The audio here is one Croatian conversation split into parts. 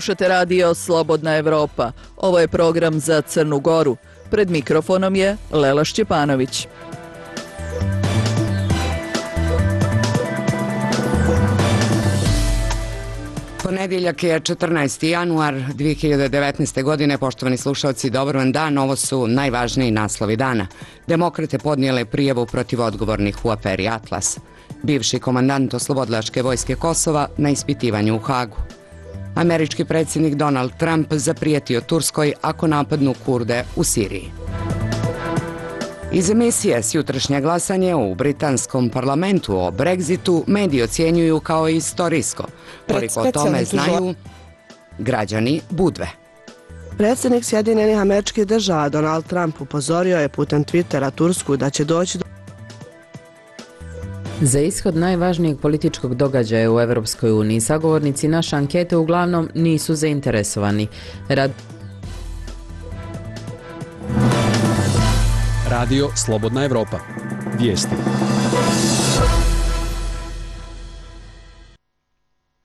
Slušate radio Slobodna Evropa. Ovo je program za Crnu Goru. Pred mikrofonom je Lela Šćepanović. Ponedjeljak je 14. januar 2019. godine. Poštovani slušalci, dobar vam dan. Ovo su najvažniji naslovi dana. Demokrate podnijele prijavu protiv odgovornih u aferi Atlas. Bivši komandant Oslobodilačke vojske Kosova na ispitivanju u Hagu. Američki predsjednik Donald Trump zaprijetio Turskoj ako napadnu Kurde u Siriji. Iz emisije Sjutrašnje glasanje u britanskom parlamentu o Brexitu mediji ocjenjuju kao istorijsko. Koliko o tome znaju građani Budve. Predsjednik Sjedinjenih Američkih Država Donald Trump upozorio je putem Twittera Tursku da će doći do... Za ishod najvažnijeg političkog događaja u Europskoj uniji sagovornici naše ankete uglavnom nisu zainteresovani. Radio Slobodna Evropa. Vijesti.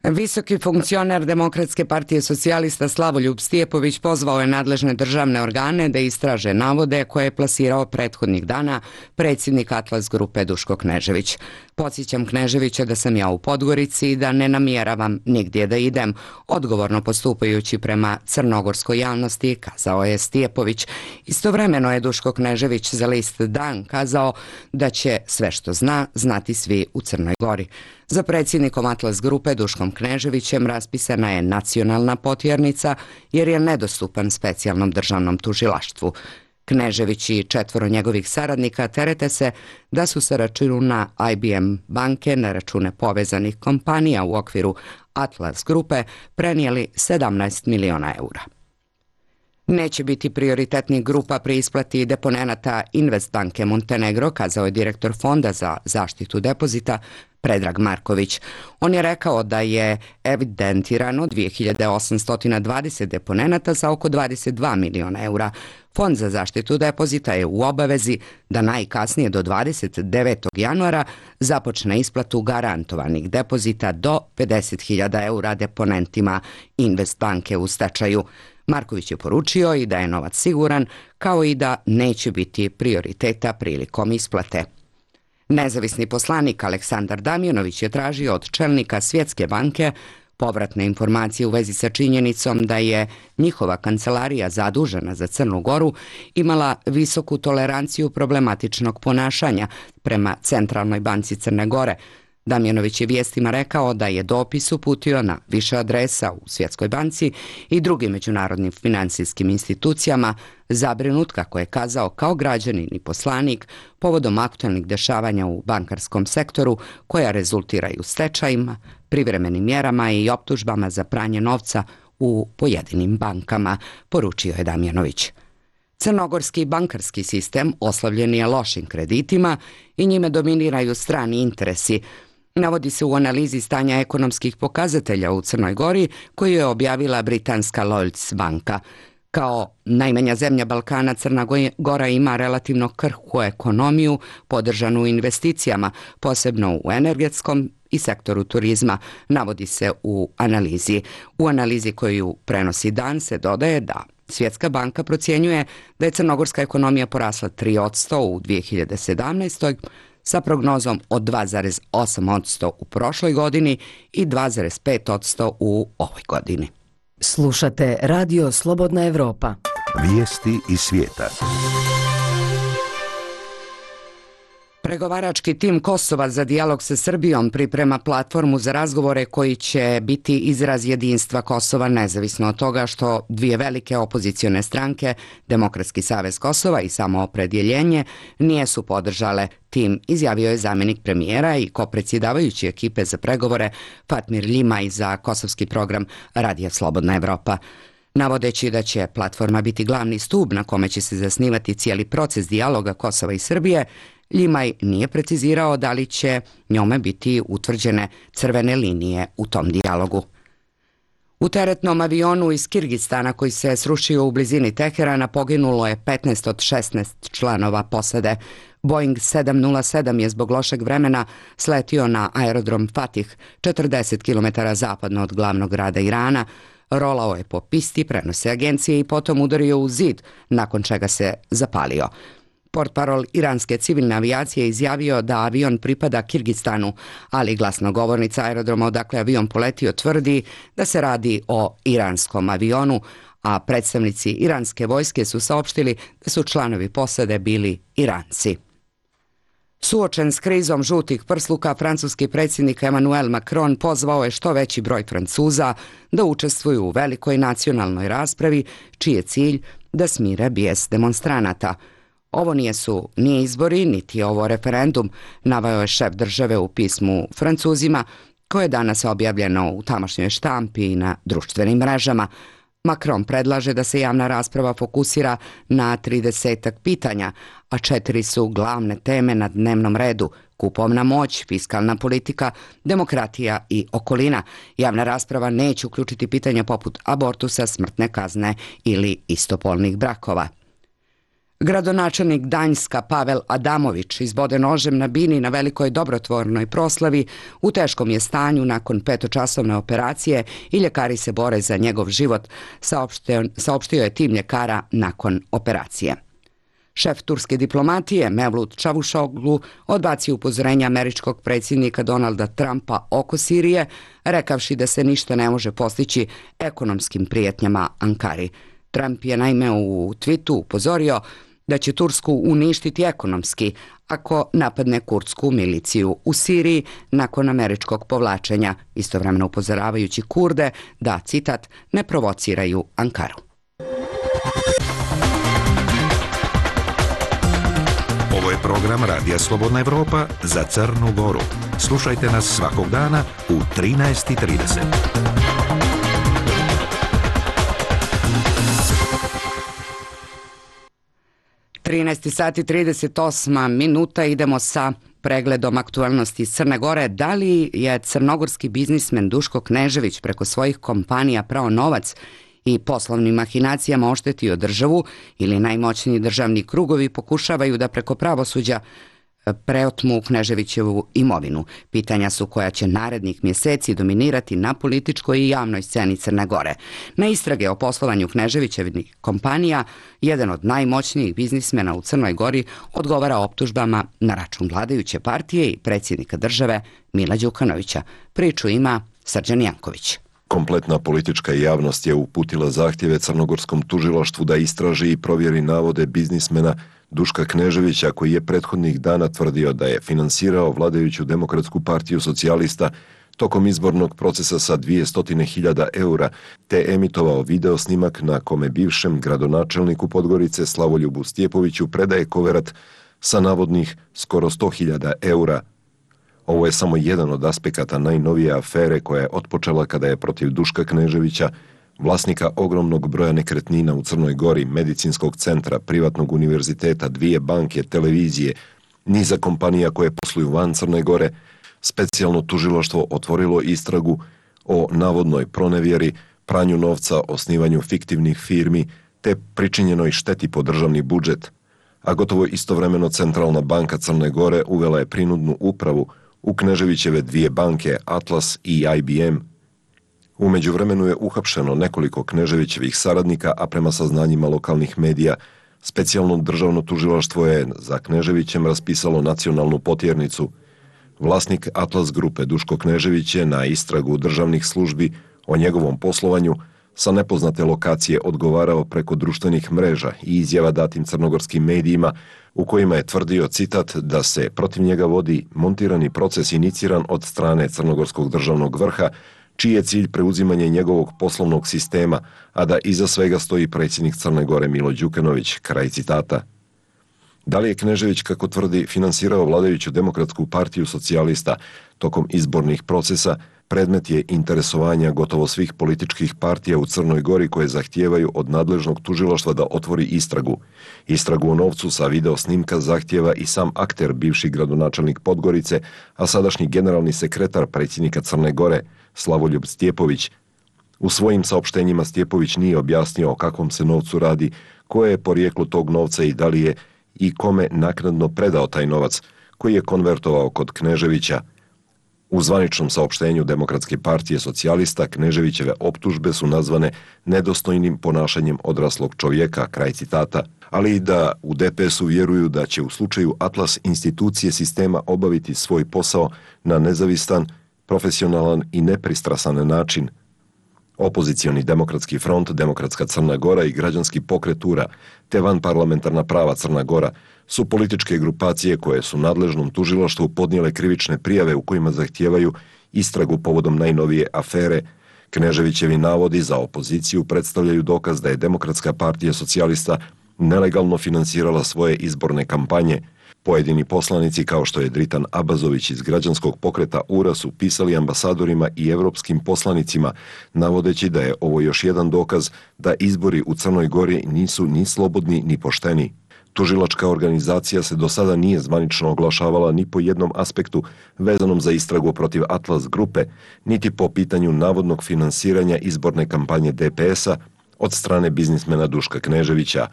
Visoki funkcioner Demokratske partije socijalista Slavoljub Stijepović pozvao je nadležne državne organe da istraže navode koje je plasirao prethodnih dana predsjednik Atlas grupe Duško Knežević. Podsjećam Kneževića da sam ja u Podgorici i da ne namjeravam nigdje da idem. Odgovorno postupajući prema crnogorskoj javnosti, kazao je Stijepović. Istovremeno je Duško Knežević za list Dan kazao da će sve što zna znati svi u Crnoj Gori. Za predsjednikom Atlas grupe Duškom Kneževićem raspisana je nacionalna potjernica jer je nedostupan specijalnom državnom tužilaštvu. Knežević i 4 njegovih saradnika terete se da su sa računa IBM banke na račune povezanih kompanija u okviru Atlas grupe prenijeli 17 miliona eura. Neće biti prioritetnih grupa pri isplati deponenata Investbanke Montenegro, kazao je direktor Fonda za zaštitu depozita Predrag Marković. On je rekao da je evidentirano 2820 deponenata za oko 22 miliona eura. Fond za zaštitu depozita je u obavezi da najkasnije do 29. januara započne isplatu garantovanih depozita do 50.000 eura deponentima Investbanke u stečaju. Marković je poručio i da je novac siguran, kao i da neće biti prioriteta prilikom isplate. Nezavisni poslanik Aleksandar Damjanović je tražio od čelnika Svjetske banke povratne informacije u vezi sa činjenicom da je njihova kancelarija zadužena za Crnu Goru imala visoku toleranciju problematičnog ponašanja prema Centralnoj banci Crne Gore. Damjanović je vijestima rekao da je dopis uputio na više adresa u Svjetskoj banci i drugim međunarodnim financijskim institucijama, zabrinut, kako je kazao, kao građanin i poslanik povodom aktualnih dešavanja u bankarskom sektoru koja rezultiraju stečajima, privremenim mjerama i optužbama za pranje novca u pojedinim bankama, poručio je Damjanović. Crnogorski bankarski sistem oslavljen je lošim kreditima i njime dominiraju strani interesi. Navodi se u analizi stanja ekonomskih pokazatelja u Crnoj Gori koju je objavila britanska Lloyds banka. Kao najmanja zemlja Balkana, Crna Gora ima relativno krhku ekonomiju podržanu investicijama, posebno u energetskom i sektoru turizma, navodi se u analizi. U analizi koju prenosi Dan se dodaje da Svjetska banka procjenjuje da je crnogorska ekonomija porasla 3% u 2017. sa prognozom od 2,8% u prošloj godini i 2,5% u ovoj godini. Slušate radio Slobodna Evropa. Vijesti iz svijeta. Pregovarački tim Kosova za dijalog sa Srbijom priprema platformu za razgovore koji će biti izraz jedinstva Kosova, nezavisno od toga što dvije velike opozicione stranke, Demokratski savez Kosova i Samoopredjeljenje, nisu podržale tim, izjavio je zamjenik premijera i kopredsjedavajući ekipe za pregovore Fatmir Ljimaj za kosovski program Radija Slobodna Evropa. Navodeći da će platforma biti glavni stub na kome će se zasnivati cijeli proces dijaloga Kosova i Srbije, Ljimaj nije precizirao da li će njome biti utvrđene crvene linije u tom dijalogu. U teretnom avionu iz Kirgistana koji se srušio u blizini Teherana poginulo je 15 od 16 članova posade. Boeing 707 je zbog lošeg vremena sletio na aerodrom Fatih, 40 km zapadno od glavnog grada Irana. Rolao je po pisti, prenose agencije, i potom udario u zid, nakon čega se zapalio. Portparol iranske civilne avijacije izjavio da avion pripada Kirgistanu, ali glasnogovornica aerodroma odakle avion poletio tvrdi da se radi o iranskom avionu, a predstavnici iranske vojske su saopštili da su članovi posade bili Iranci. Suočen s krizom žutih prsluka, francuski predsjednik Emmanuel Macron pozvao je što veći broj Francuza da učestvuju u velikoj nacionalnoj raspravi, čiji je cilj da smire bijes demonstranata. Ovo nije izbori, niti je ovo referendum, naveo je šef države u pismu Francuzima, koje je danas objavljeno u tamošnjoj štampi i na društvenim mrežama. Macron predlaže da se javna rasprava fokusira na 30 pitanja, a 4 su glavne teme na dnevnom redu: kupovna moć, fiskalna politika, demokratija i okolina. Javna rasprava neće uključiti pitanja poput abortusa, smrtne kazne ili istopolnih brakova. Gradonačelnik Gdanjska Pavel Adamović izboden nožem na bini na velikoj dobrotvornoj proslavi, u teškom je stanju nakon 5-časovne operacije i ljekari se bore za njegov život, saopštio je tim ljekara nakon operacije. Šef turske diplomatije Mevlut Čavuşoglu odbacio upozorenja američkog predsjednika Donalda Trumpa oko Sirije, rekavši da se ništa ne može postići ekonomskim prijetnjama Ankari. Trump je naime u tweetu upozorio da će Tursku uništiti ekonomski ako napadne kurdsku miliciju u Siriji nakon američkog povlačenja, istovremeno upozoravajući Kurde da, citat, ne provociraju Ankaru. Ovo je program Radija Slobodna Evropa za Crnu Goru. Slušajte nas svakog dana u 13:30. 13 sati 38 minuta, idemo sa pregledom aktualnosti iz Crne Gore. Da li je crnogorski biznismen Duško Knežević preko svojih kompanija prao novac i poslovnim mahinacijama oštetio državu, ili najmoćniji državni krugovi pokušavaju da preko pravosuđa preotmu Kneževićevu imovinu? Pitanja su koja će narednih mjeseci dominirati na političkoj i javnoj sceni Crne Gore. Na istrage o poslovanju Kneževićevih kompanija, jedan od najmoćnijih biznismena u Crnoj Gori odgovara optužbama na račun vladajuće partije i predsjednika države Mila Đukanovića. Priču ima Srđan Janković. Kompletna politička javnost je uputila zahtjeve crnogorskom tužilaštvu da istraži i provjeri navode biznismena Duška Kneževića, koji je prethodnih dana tvrdio da je finansirao vladajuću Demokratsku partiju socijalista tokom izbornog procesa sa 200.000 eura, te emitovao video snimak na kome bivšem gradonačelniku Podgorice Slavoljubu Stjepoviću predaje koverat sa navodnih skoro 100.000 eura. Ovo je samo jedan od aspekata najnovije afere koja je otpočela kada je protiv Duška Kneževića, vlasnika ogromnog broja nekretnina u Crnoj Gori, medicinskog centra, privatnog univerziteta, 2 banke, televizije, niza kompanija koje posluju van Crne Gore, specijalno tužilaštvo otvorilo istragu o navodnoj pronevjeri, pranju novca, osnivanju fiktivnih firmi te pričinjenoj šteti po državni budžet. A gotovo istovremeno Centralna banka Crne Gore uvela je prinudnu upravu u Kneževićeve 2 banke, Atlas i IBM. U međuvremenu je uhapšeno nekoliko Kneževićevih saradnika, a prema saznanjima lokalnih medija, specijalno državno tužilaštvo je za Kneževićem raspisalo nacionalnu potjernicu. Vlasnik Atlas grupe Duško Knežević je na istragu državnih službi o njegovom poslovanju sa nepoznate lokacije odgovarao preko društvenih mreža i izjava datim crnogorskim medijima u kojima je tvrdio, citat, da se protiv njega vodi montirani proces iniciran od strane crnogorskog državnog vrha, čiji je cilj preuzimanje njegovog poslovnog sistema, a da iza svega stoji predsjednik Crne Gore Milo Đukanović, kraj citata. Da li je Knežević, kako tvrdi, finansirao vladajuću Demokratsku partiju socijalista tokom izbornih procesa, predmet je interesovanja gotovo svih političkih partija u Crnoj Gori koje zahtijevaju od nadležnog tužilaštva da otvori istragu. Istragu o novcu sa video snimka zahtijeva i sam akter, bivši gradonačelnik Podgorice, a sadašnji generalni sekretar predsjednika Crne Gore, Slavoljub Stjepović. U svojim saopštenjima Stjepović nije objasnio o kakvom se novcu radi, koje je porijeklo tog novca i da li je i kome naknadno predao taj novac, koji je konvertovao kod Kneževića. U zvaničnom saopštenju Demokratske partije socijalista Kneževićeve optužbe su nazvane nedostojnim ponašanjem odraslog čovjeka, kraj citata, ali i da u DPS-u vjeruju da će u slučaju Atlas institucije sistema obaviti svoj posao na nezavistan, profesionalan i nepristrasan način. Opozicioni Demokratski front, Demokratska Crna Gora i Građanski pokret URA te vanparlamentarna prava Crna Gora su političke grupacije koje su nadležnom tužilaštvu podnijele krivične prijave u kojima zahtijevaju istragu povodom najnovije afere. Kneževićevi navodi za opoziciju predstavljaju dokaz da je Demokratska partija socijalista nelegalno finansirala svoje izborne kampanje. Pojedini poslanici kao što je Dritan Abazović iz Građanskog pokreta URA su pisali ambasadorima i evropskim poslanicima, navodeći da je ovo još jedan dokaz da izbori u Crnoj Gori nisu ni slobodni ni pošteni. Tužilačka organizacija se do sada nije zvanično oglašavala ni po jednom aspektu vezanom za istragu protiv Atlas grupe, niti po pitanju navodnog finansiranja izborne kampanje DPS-a od strane biznismena Duška Kneževića.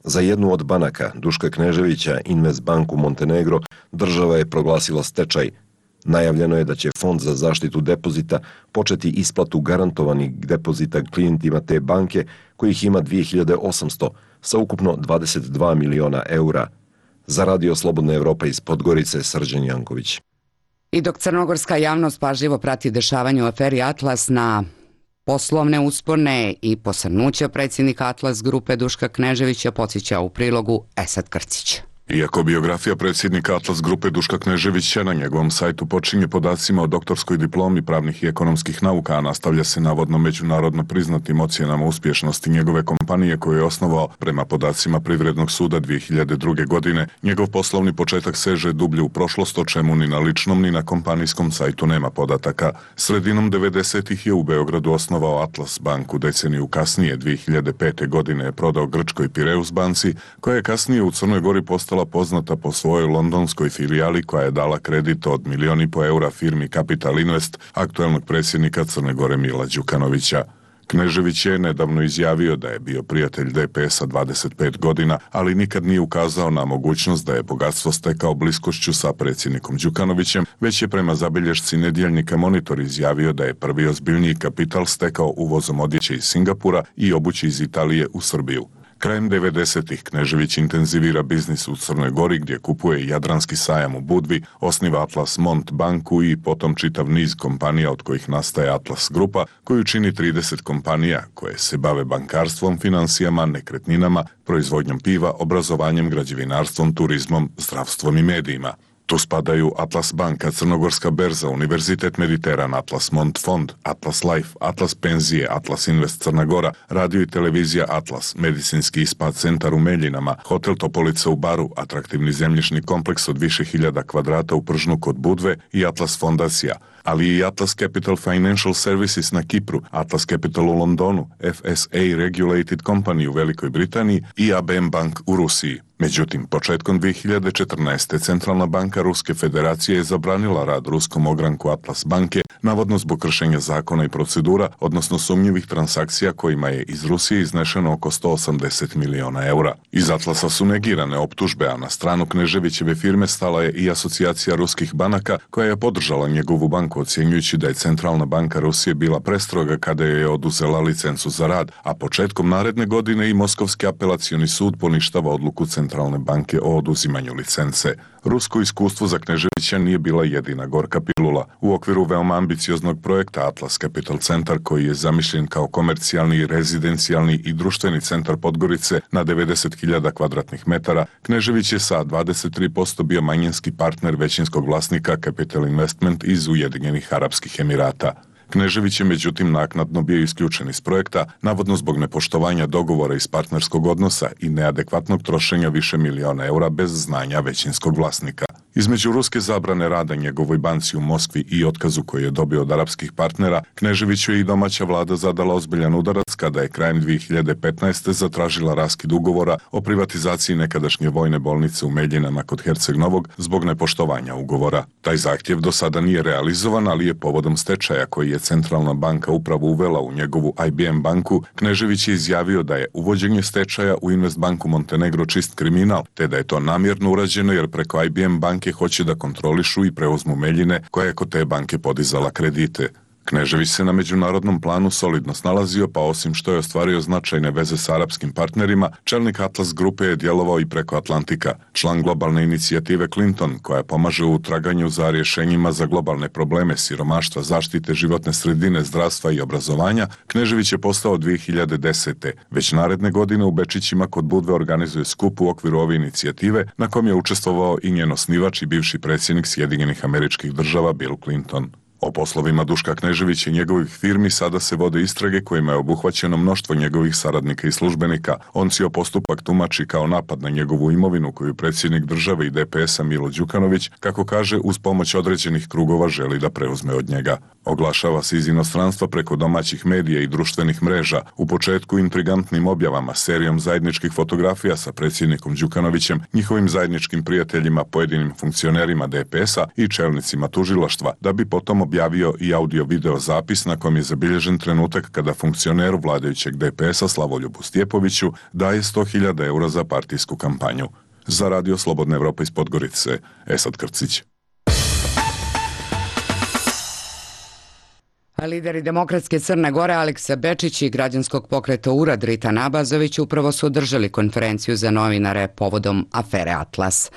Za jednu od banaka, Duška Kneževića, Investbanku Montenegro, država je proglasila stečaj. Najavljeno je da će Fond za zaštitu depozita početi isplatu garantovanih depozita klijentima te banke, kojih ima 2800, sa ukupno 22 miliona eura. Za Radio Slobodna Evropa iz Podgorice, Srđan Janković. I dok crnogorska javnost pažljivo prati dešavanje u aferi Atlas na poslovne uspone i posrnuće predsjednika Atlas grupe Duška Kneževića, podsjeća u prilogu Esad Krcić. Iako biografija predsjednika Atlas grupe Duška Kneževića na njegovom sajtu počinje podacima o doktorskoj diplomi pravnih i ekonomskih nauka, a nastavlja se navodno međunarodno priznatim ocjenama uspješnosti njegove kompanije koju je osnovao prema podacima Privrednog suda 2002. godine, njegov poslovni početak seže dublje u prošlost, o čemu ni na ličnom ni na kompanijskom sajtu nema podataka. Sredinom 90-ih je u Beogradu osnovao Atlas banku, deceniju kasnije, 2005. godine je prodao grčkoj Pireus banci, koja je kasnije u Crnoj Gori postala poznata po svojoj londonskoj filijali koja je dala kredit od 1,5 miliona eura firmi Capital Invest aktuelnog predsjednika Crne Gore Mila Đukanovića. Knežević je nedavno izjavio da je bio prijatelj DPS-a 25 godina, ali nikad nije ukazao na mogućnost da je bogatstvo stekao bliskošću sa predsjednikom Đukanovićem, već je prema zabilješci nedjeljnika Monitor izjavio da je prvi ozbiljniji kapital stekao uvozom odjeće iz Singapura i obuće iz Italije u Srbiju. Krajem 90-ih Knežević intenzivira biznis u Crnoj Gori gdje kupuje Jadranski sajam u Budvi, osniva Atlas Mont banku i potom čitav niz kompanija od kojih nastaje Atlas grupa, koju čini 30 kompanija koje se bave bankarstvom, financijama, nekretninama, proizvodnjom piva, obrazovanjem, građevinarstvom, turizmom, zdravstvom i medijima. Tu spadaju Atlas banka, Crnogorska berza, Univerzitet Mediteran, Atlas Mont fond, Atlas Life, Atlas penzije, Atlas Invest Crna Gora, radio i televizija Atlas, medicinski spa centar u Meljinama, hotel Topolica u Baru, atraktivni zemljišni kompleks od više hiljada kvadrata u Pržnu kod Budve i Atlas fondacija, ali i Atlas Capital Financial Services na Kipru, Atlas Capital u Londonu, FSA Regulated Company u Velikoj Britaniji i ABM Bank u Rusiji. Međutim, početkom 2014. Centralna banka Ruske federacije je zabranila rad ruskom ogranku Atlas banke, navodno zbog kršenja zakona i procedura, odnosno sumnjivih transakcija kojima je iz Rusije iznešeno oko 180 miliona eura. Iz Atlasa su negirane optužbe, a na stranu Kneževićeve firme stala je i asocijacija ruskih banaka koja je podržala njegovu banku, ocjenjujući da je Centralna banka Rusije bila prestroga kada je oduzela licencu za rad, a početkom naredne godine i Moskovski apelacioni sud poništava odluku Centralne banke o oduzimanju licence. Rusko iskustvo za Kneževića nije bila jedina gorka pilula. U okviru veoma ambicioznog projekta Atlas Capital Centar, koji je zamišljen kao komercijalni, rezidencijalni i društveni centar Podgorice na 90.000 kvadratnih metara, Knežević je sa 23% bio manjinski partner većinskog vlasnika Capital Investment iz Ujedinjenih Arapskih Emirata. Knežević je međutim naknadno bio isključen iz projekta, navodno zbog nepoštovanja dogovora iz partnerskog odnosa i neadekvatnog trošenja više miliona eura bez znanja većinskog vlasnika. Između ruske zabrane rada njegovoj banci u Moskvi i otkazu koji je dobio od arapskih partnera, Kneževiću je i domaća vlada zadala ozbiljan udarac kada je krajem 2015. zatražila raskid ugovora o privatizaciji nekadašnje vojne bolnice u Meljinama kod Herceg Novog zbog nepoštovanja ugovora. Taj zahtjev do sada nije realizovan, ali je povodom stečaja koji je Centralna banka upravo uvela u njegovu IBM banku, Knežević je izjavio da je uvođenje stečaja u Investbanku Montenegro čist kriminal, te da je to namjerno urađeno jer preko IBM banke banke hoće da kontrolišu i preuzmu Meljine, koja je kod te banke podizala kredite. Knežević se na međunarodnom planu solidno snalazio, pa osim što je ostvario značajne veze s arapskim partnerima, čelnik Atlas grupe je djelovao i preko Atlantika. Član globalne inicijative Clinton, koja pomaže u traganju za rješenjima za globalne probleme siromaštva, zaštite životne sredine, zdravstva i obrazovanja, Knežević je postao 2010. Već naredne godine u Bečićima kod Budve organizuje skup u okviru ove inicijative, na kom je učestvovao i njen osnivač i bivši predsjednik Sjedinjenih Američkih Država Bill Clinton. O poslovima Duška Kneževića i njegovih firmi sada se vode istrage kojima je obuhvaćeno mnoštvo njegovih saradnika i službenika. On cijel postupak tumači kao napad na njegovu imovinu koju predsjednik države i DPS-a Milo Đukanović, kako kaže, uz pomoć određenih krugova želi da preuzme od njega. Oglašava se iz inostranstva preko domaćih medija i društvenih mreža, u početku intrigantnim objavama, serijom zajedničkih fotografija sa predsjednikom Đukanovićem, njihovim zajedničkim prijateljima, pojedinim funkcionerima DPS-a i čelnicima tužilaštva, da bi potom objavio i audio-video zapis na kom je zabilježen trenutak kada funkcioneru vladajućeg DPS-a Slavoljubu Stjepoviću daje 100.000 eura za partijsku kampanju. Za Radio Slobodna Evropa iz Podgorice, Esad Krcić. A lideri Demokratske Crne Gore Aleksa Bečić i građanskog pokreta URA Dritan Abazović upravo su održali konferenciju za novinare povodom afere Atlas.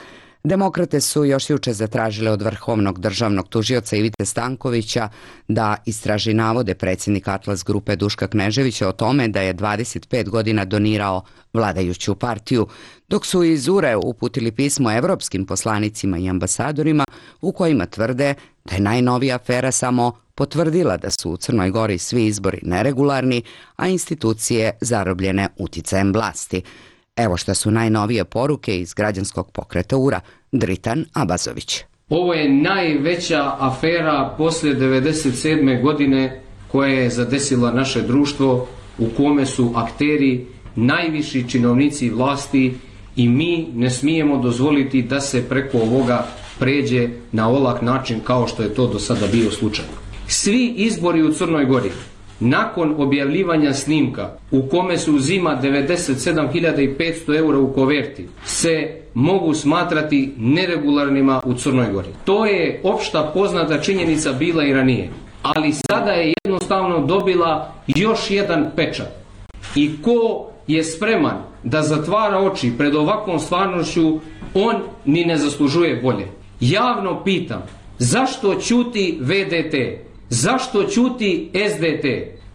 Demokrate su još juče zatražile od vrhovnog državnog tužioca Ivite Stankovića da istraži navode predsjednika Atlas grupe Duška Kneževića o tome da je 25 godina donirao vladajuću partiju, dok su iz URE uputili pismo evropskim poslanicima i ambasadorima u kojima tvrde da je najnovija afera samo potvrdila da su u Crnoj Gori svi izbori neregularni, a institucije zarobljene uticajem vlasti. Evo šta su najnovije poruke iz građanskog pokreta URA, Dritan Abazović. Ovo je najveća afera poslije 1997. godine koja je zadesila naše društvo, u kome su akteri najviši činovnici vlasti i mi ne smijemo dozvoliti da se preko ovoga pređe na olak način kao što je to do sada bio slučaj. Svi izbori u Crnoj Gori nakon objavljivanja snimka u kome se uzima 97.500 eura u koverti se mogu smatrati neregularnima u Crnoj Gori. To je opšta poznata činjenica bila i ranije, ali sada je jednostavno dobila još jedan pečat. I ko je spreman da zatvara oči pred ovakvom stvarnošću, on ni ne zaslužuje bolje. Javno pitam, zašto ćuti VDT? Zašto ćuti SDT?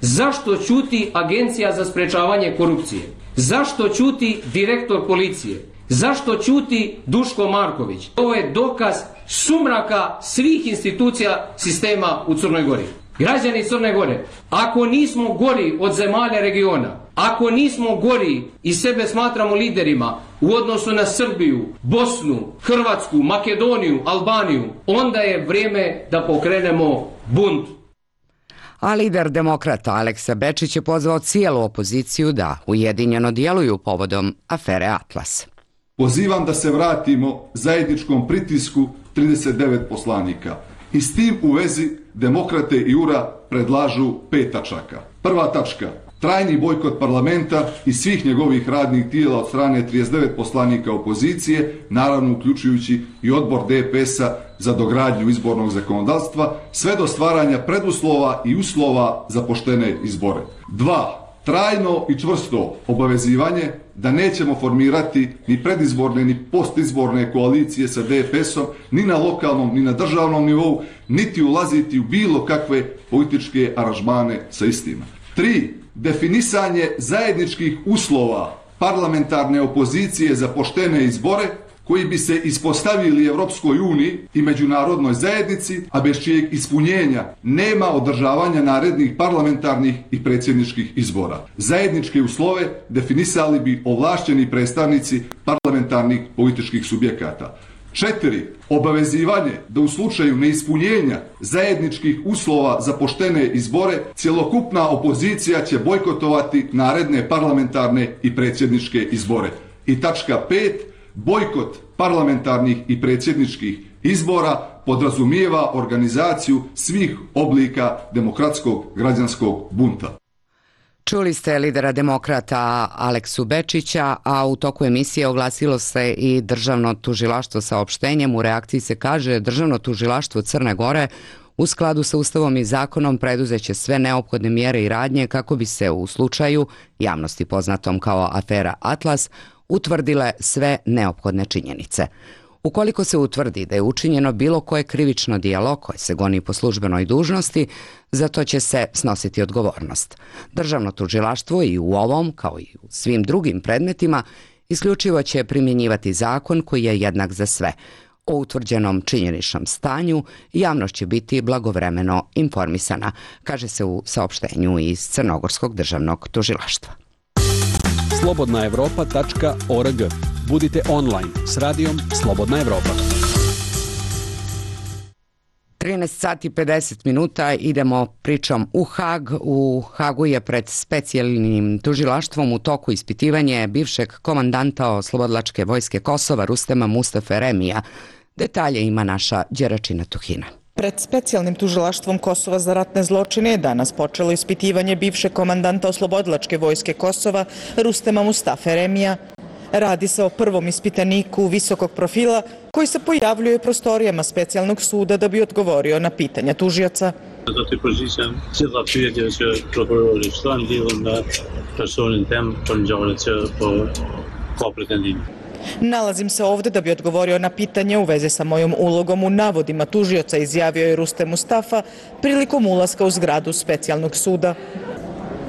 Zašto ćuti Agencija za sprečavanje korupcije? Zašto ćuti direktor policije? Zašto ćuti Duško Marković? Ovo je dokaz sumraka svih institucija sistema u Crnoj Gori. Građani Crne Gore, ako nismo gori od zemalja regiona, ako nismo gori i sebe smatramo liderima u odnosu na Srbiju, Bosnu, Hrvatsku, Makedoniju, Albaniju, onda je vrijeme da pokrenemo bunt. A lider Demokrata Aleksa Bečić je pozvao cijelu opoziciju da ujedinjeno djeluju povodom afere Atlas. Pozivam da se vratimo zajedničkom pritisku 39 poslanika. I s tim u vezi Demokrate i URA predlažu 5 tačaka. Prva tačka, trajni bojkot parlamenta i svih njegovih radnih tijela od strane 39 poslanika opozicije, naravno uključujući i odbor DPS-a za dogradnju izbornog zakonodavstva, sve do stvaranja preduslova i uslova za poštene izbore. 2. Trajno i čvrsto obavezivanje da nećemo formirati ni predizborne ni postizborne koalicije sa DPS-om ni na lokalnom ni na državnom nivou, niti ulaziti u bilo kakve političke aranžmane sa istima. 3. Definisanje zajedničkih uslova parlamentarne opozicije za poštene izbore koji bi se ispostavili Europskoj uniji i međunarodnoj zajednici, a bez čijeg ispunjenja nema održavanja narednih parlamentarnih i predsjedničkih izbora. Zajedničke uslove definisali bi ovlašćeni predstavnici parlamentarnih političkih subjekata. 4. Obavezivanje da u slučaju neispunjenja zajedničkih uslova za poštene izbore cjelokupna opozicija će bojkotovati naredne parlamentarne i predsjedničke izbore. I tačka 5. Bojkot parlamentarnih i predsjedničkih izbora podrazumijeva organizaciju svih oblika demokratskog građanskog bunta. Čuli ste lidera demokrata Aleksu Bečića, a u toku emisije oglasilo se i Državno tužilaštvo saopštenjem. U reakciji se kaže Državno tužilaštvo Crne Gore u skladu sa Ustavom i zakonom preduzeće sve neophodne mjere i radnje kako bi se u slučaju, javnosti poznatom kao afera Atlas, utvrdile sve neophodne činjenice. Ukoliko se utvrdi da je učinjeno bilo koje krivično djelo koje se goni po službenoj dužnosti, za to će se snositi odgovornost. Državno tužilaštvo i u ovom, kao i u svim drugim predmetima, isključivo će primjenjivati zakon koji je jednak za sve. O utvrđenom činjeničnom stanju javnost će biti blagovremeno informisana, kaže se u saopštenju iz Crnogorskog državnog tužilaštva. slobodnaevropa.org. Budite online s radijom Slobodna Evropa. 13 sati 50 minuta idemo pričom u Hag. U Hagu je pred specijalnim tužilaštvom u toku ispitivanje bivšeg komandanta Oslobodilačke vojske Kosova Rustema Mustafe Eremija. Detalje ima naša Đeračina Tuhina. Pred specijalnim tužilaštvom Kosova za ratne zločine je danas počelo ispitivanje bivšeg komandanta Oslobodilačke vojske Kosova Rustema Mustafe Eremija. Radi se o prvom ispitaniku visokog profila koji se pojavljuje u prostorijama specijalnog suda da bi odgovorio na pitanja tužioca. Nalazim se ovdje da bi odgovorio na pitanje u vezi sa mojom ulogom u navodima tužioca, izjavio je Rustem Mustafa prilikom ulaska u zgradu specijalnog suda.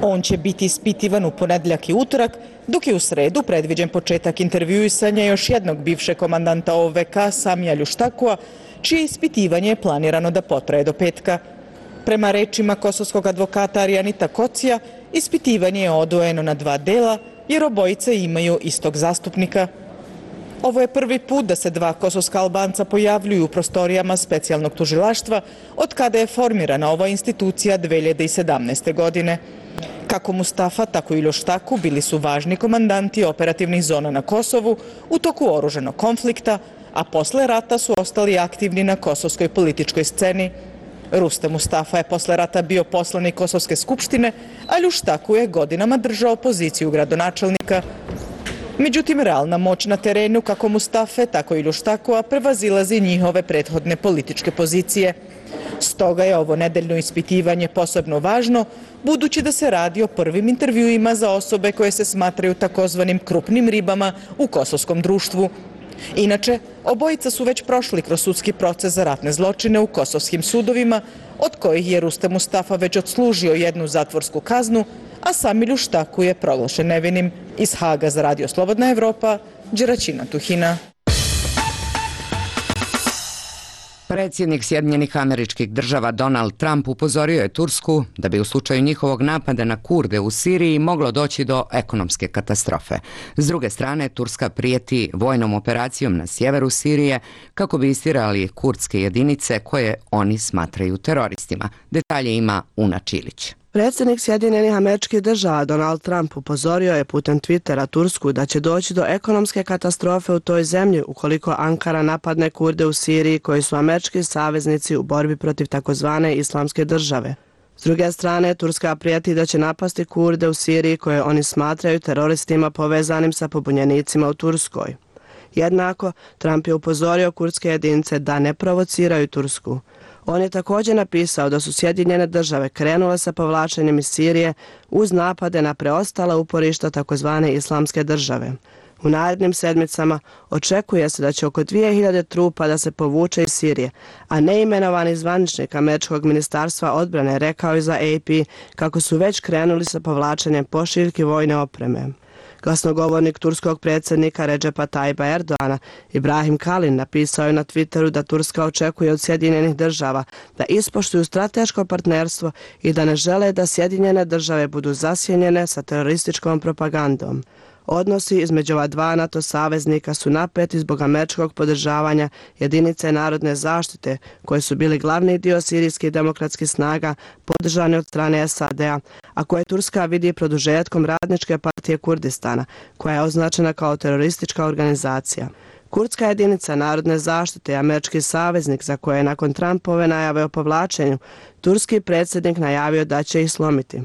On će biti ispitivan u ponedjeljak i utorak, dok je u sredu predviđen početak intervjuisanja još jednog bivšeg komandanta OVK Samija Ljuštakua, čije ispitivanje je planirano da potraje do petka. Prema rečima kosovskog advokata Arijanita Kocija, ispitivanje je odvojeno na dva dela jer obojice imaju istog zastupnika. Ovo je prvi put da se dva kosovska Albanca pojavljuju u prostorijama specijalnog tužilaštva od kada je formirana ova institucija 2017. godine. Kako Mustafa, tako i Ljuštaku bili su važni komandanti operativnih zona na Kosovu u toku oružanog konflikta, a posle rata su ostali aktivni na kosovskoj političkoj sceni. Rustem Mustafa je posle rata bio poslanik Kosovske skupštine, a Ljuštaku je godinama držao poziciju gradonačelnika. Međutim, realna moć na terenu kako Mustafe, tako i Ljuštakua prevazilazi njihove prethodne političke pozicije. Stoga je ovo nedeljno ispitivanje posebno važno, budući da se radi o prvim intervjuima za osobe koje se smatraju takozvanim krupnim ribama u kosovskom društvu. Inače, obojica su već prošli kroz sudski proces za ratne zločine u kosovskim sudovima, od kojih je Rustem Mustafa već odslužio jednu zatvorsku kaznu, a Sami Ljuštaku je proglašen nevinim. Iz Haga za Radio Slobodna Evropa, Đeračina Tuhina. Predsjednik Sjedinjenih Američkih Država Donald Trump upozorio je Tursku da bi u slučaju njihovog napada na Kurde u Siriji moglo doći do ekonomske katastrofe. S druge strane, Turska prijeti vojnom operacijom na sjeveru Sirije kako bi istirali kurdske jedinice koje oni smatraju teroristima. Detalje ima Una Čilić. Predsjednik Sjedinjenih Američkih Država Donald Trump upozorio je putem Twittera Tursku da će doći do ekonomske katastrofe u toj zemlji ukoliko Ankara napadne Kurde u Siriji koji su američki saveznici u borbi protiv takozvane islamske države. S druge strane, Turska prijeti da će napasti Kurde u Siriji koje oni smatraju teroristima povezanim sa pobunjenicima u Turskoj. Jednako, Trump je upozorio kurdske jedinice da ne provociraju Tursku. On je također napisao da su Sjedinjene Države krenule sa povlačenjem iz Sirije uz napade na preostala uporišta takozvane islamske države. U narednim sedmicama očekuje se da će oko 2000 trupa da se povuče iz Sirije, a neimenovani zvaničnik Američkog ministarstva odbrane rekao je za AP kako su već krenuli sa povlačenjem pošiljki vojne opreme. Glasnogovornik turskog predsjednika Recepa Tayyipa Erdoana, Ibrahim Kalin, napisao je na Twitteru da Turska očekuje od Sjedinjenih Država da ispoštuju strateško partnerstvo i da ne žele da Sjedinjene Države budu zasjenjene sa terorističkom propagandom. Odnosi između ova dva NATO saveznika su napeti zbog američkog podržavanja jedinice narodne zaštite koje su bili glavni dio sirijskih demokratskih snaga podržane od strane SAD-a, a koje Turska vidi produžetkom Radničke partije Kurdistana, koja je označena kao teroristička organizacija. Kurdska jedinica narodne zaštite je američki saveznik za koje je nakon Trumpove najave o povlačenju turski predsjednik najavio da će ih slomiti.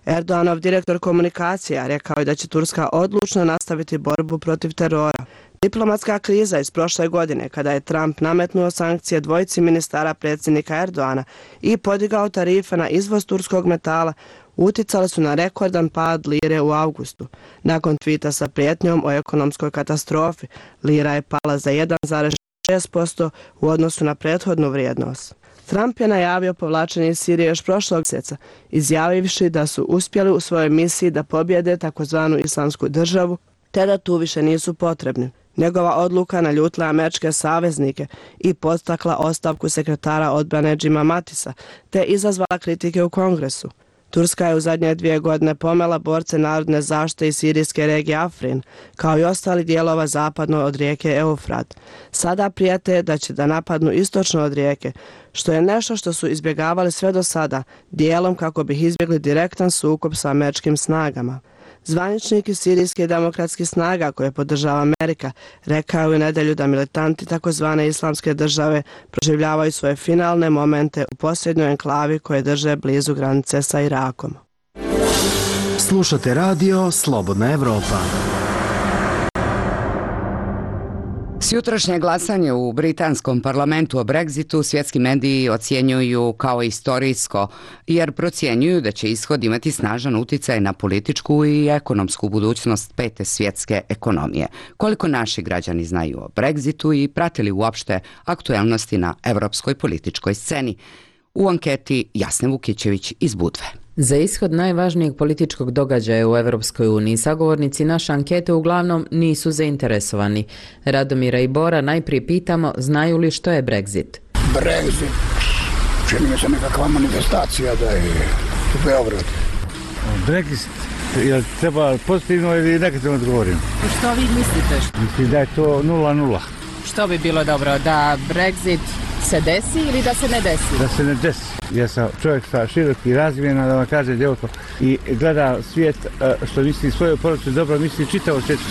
Erdoganov direktor komunikacija rekao je da će Turska odlučno nastaviti borbu protiv terora. Diplomatska kriza iz prošle godine, kada je Trump nametnuo sankcije dvojici ministara predsjednika Erdogana i podigao tarife na izvoz turskog metala, uticale su na rekordan pad lire u avgustu. Nakon tvita sa prijetnjom o ekonomskoj katastrofi, lira je pala za 1,6% u odnosu na prethodnu vrijednost. Trump je najavio povlačenje iz Sirije još prošlog mjeseca, izjavivši da su uspjeli u svojoj misiji da pobjede takozvanu islamsku državu, te da tu više nisu potrebni. Njegova odluka naljutila američke saveznike i podstakla ostavku sekretara odbrane Jima Matisa, te izazvala kritike u Kongresu. Turska je u zadnje 2 godine pomela borce narodne zaštite iz sirijske regije Afrin, kao i ostali dijelova zapadno od rijeke Eufrat. Sada prijete da će da napadnu istočno od rijeke, što je nešto što su izbjegavali sve do sada, dijelom kako bi izbjegli direktan sukob sa američkim snagama. Zvaničnik iz sirijskih demokratskih snaga koje podržava Amerika rekao je u nedjelju da militanti takozvane islamske države proživljavaju svoje finalne momente u posljednjoj enklavi koje drže blizu granice sa Irakom. Slušate radio Slobodna Evropa. Sutrašnje glasanje u britanskom parlamentu o Brexitu svjetski mediji ocjenjuju kao istorijsko, jer procjenjuju da će ishod imati snažan uticaj na političku i ekonomsku budućnost 5. svjetske ekonomije. Koliko naši građani znaju o Brexitu i pratili uopšte aktuelnosti na evropskoj političkoj sceni? U anketi Jasne Vukićević iz Budve. Za ishod najvažnijeg političkog događaja u Evropskoj uniji sagovornici naše ankete uglavnom nisu zainteresovani. Radomira i Bora najprije pitamo znaju li što je Brexit. Brexit, čini mi se nekakva manifestacija da je u Beogradu. Brexit, je treba pozitivno ili negativno odgovorim? Što vi mislite? Mislim da je to 0-0. Što bi bilo dobro, da Brexit se desi ili da se ne desi? Da se ne desi. Ja sam čovjek sa široki razvijena, da vam kaže djevojko, i gleda svijet što misli svoju porodicu dobro, misli čitavo svijetu.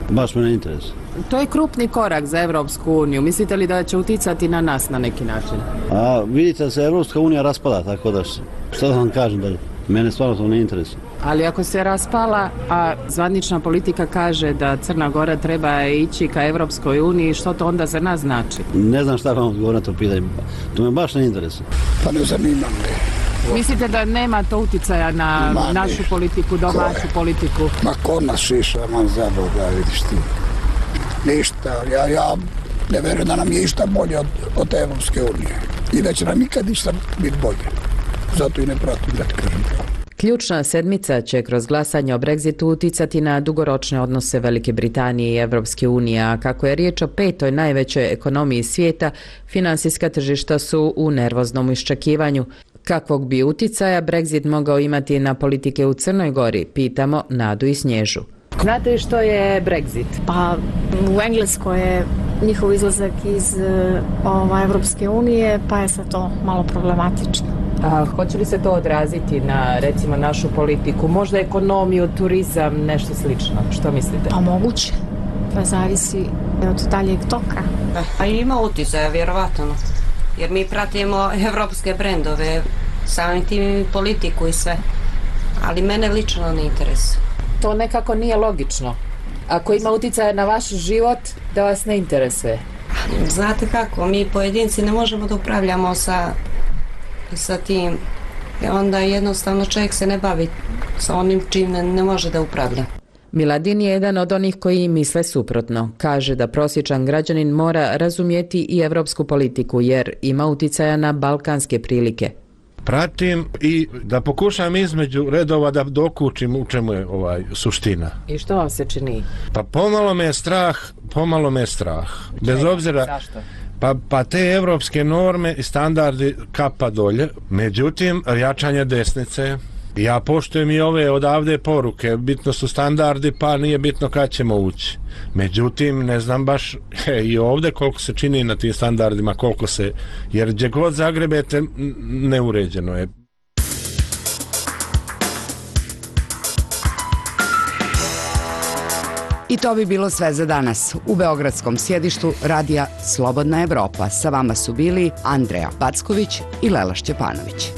Baš me ne interesuje. To je krupni korak za Evropsku uniju. Mislite li da će uticati na nas na neki način? A vidite da se Evropska unija raspada, tako da što da vam kažem dalje? Mene stvarno to ne interesuje. Ali ako se raspala, a zvanična politika kaže da Crna Gora treba ići ka Evropskoj uniji, što to onda za nas znači? Ne znam šta vam odgovorim na to pitanje. To me baš ne interesuje. Pa ne zanimam me. Mislite da nema to uticaja na našu politiku, domaću politiku? Ma ko nas šiša, man za Boga, vidiš ti. Ništa, ja ne verujem da nam je išta bolje od Evropske unije. I da će nam ikad išta biti bolje. Zato i ne pratim, da ti kažem. Ključna sedmica će kroz glasanje o Brexitu uticati na dugoročne odnose Velike Britanije i Evropske unije, a kako je riječ o 5. najvećoj ekonomiji svijeta, finansijska tržišta su u nervoznom iščekivanju. Kakvog bi uticaja Brexit mogao imati na politike u Crnoj Gori, pitamo Nadu i Snježu. Znate li što je Brexit? Pa u Engleskoj je njihov izlazak iz Evropske unije, pa je sad to malo problematično. A hoće li se to odraziti na, recimo, našu politiku? Možda ekonomiju, turizam, nešto slično? Što mislite? Pa moguće. To zavisi od daljeg toka. Pa ima uticaja, vjerovatno. Jer mi pratimo evropske brendove, samim tim i politiku i sve. Ali mene lično ne interesuje. To nekako nije logično. Ako ima uticaja na vaš život, da vas ne interesuje. Znate kako, mi pojedinci ne možemo da upravljamo sa tim. Onda jednostavno čovjek se ne bavi sa onim čim ne može da upravlja. Miladin je jedan od onih koji misle suprotno. Kaže da prosječan građanin mora razumjeti i evropsku politiku jer ima uticaja na balkanske prilike. Pratim i da pokušam između redova da dokučim u čemu je suština. I što vam se čini? Pa pomalo me je strah. Bez obzira... Zašto? Pa te evropske norme i standardi kapa dolje. Međutim, jačanje desnice. Ja poštujem i ove odavde poruke. Bitno su standardi, pa nije bitno kad ćemo ući. Međutim, ne znam baš i ovdje koliko se čini na tim standardima, koliko se... Jer gdje god zagrebete, neuređeno je. I to bi bilo sve za danas. U beogradskom sjedištu radija Slobodna Evropa sa vama su bili Andreja Packović i Lela Šćepanović.